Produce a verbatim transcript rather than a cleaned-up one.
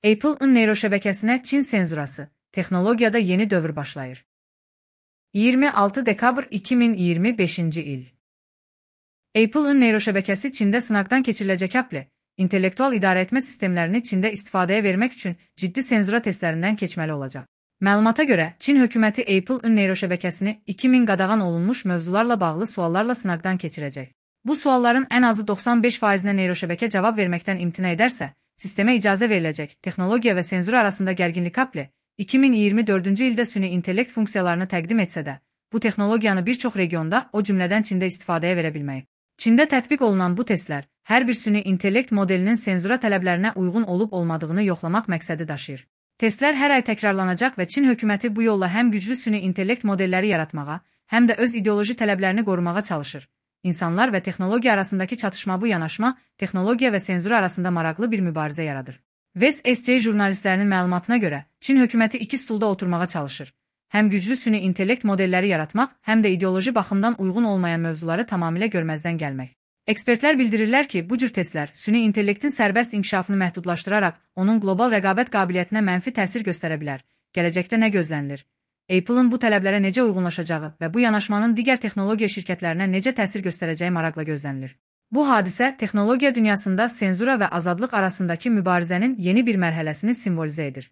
Apple'ın neyroşəbəkəsinə Çin senzurası, texnologiyada yeni dövr başlayır. iyirmi altı dekabr iki min iyirmi beşinci il. Apple'ın neyroşəbəkəsi Çində sınaqdan keçiriləcək Apple, intellektual idarəetmə sistemlərini Çində istifadəyə vermək üçün ciddi senzura testlərindən keçməli olacaq. Məlumata görə, Çin hökuməti Apple'ın neyroşəbəkəsini iki min qadağan olunmuş mövzularla bağlı suallarla sınaqdan keçirəcək. Bu sualların ən azı doxsan beş faizinə neyroşəbəkə cavab verməkdən imtina edərsə, sistemə icazə veriləcək. Texnologiya və senzur arasında gərginlik Apple, iki min iyirmi dördüncü ildə süni intellekt funksiyalarını təqdim etsə də, bu texnologiyanı bir çox regionda, o cümlədən Çində istifadəyə verə bilməyib. Çində tətbiq olunan bu testlər, hər bir süni intellekt modelinin senzura tələblərinə uyğun olub-olmadığını yoxlamaq məqsədi daşıyır. Testlər hər ay təkrarlanacaq və Çin hökuməti bu yolla həm güclü süni intellekt modelləri yaratmağa, həm də öz ideoloji tələblərini qorumağa çalışır. İnsanlar və texnologiya arasındakı çatışma bu yanaşma, texnologiya və senzur arasında maraqlı bir mübarizə yaradır. West S C jurnalistlərinin məlumatına görə, Çin hökuməti iki stulda oturmağa çalışır. Həm güclü süni intellekt modelləri yaratmaq, həm də ideoloji baxımdan uyğun olmayan mövzuları tamamilə görməzdən gəlmək. Ekspertlər bildirirlər ki, bu cür testlər süni intellektin sərbəst inkişafını məhdudlaşdıraraq, onun qlobal rəqabət qabiliyyətinə mənfi təsir göstərə bilər. Gələcəkdə nə gözlənilir? Apple'ın bu tələblərə necə uyğunlaşacağı və bu yanaşmanın digər texnologiya şirkətlərinə necə təsir göstərəcəyi maraqla gözlənilir. Bu hadisə texnologiya dünyasında senzura və azadlıq arasındakı mübarizənin yeni bir mərhələsini simvolizə edir.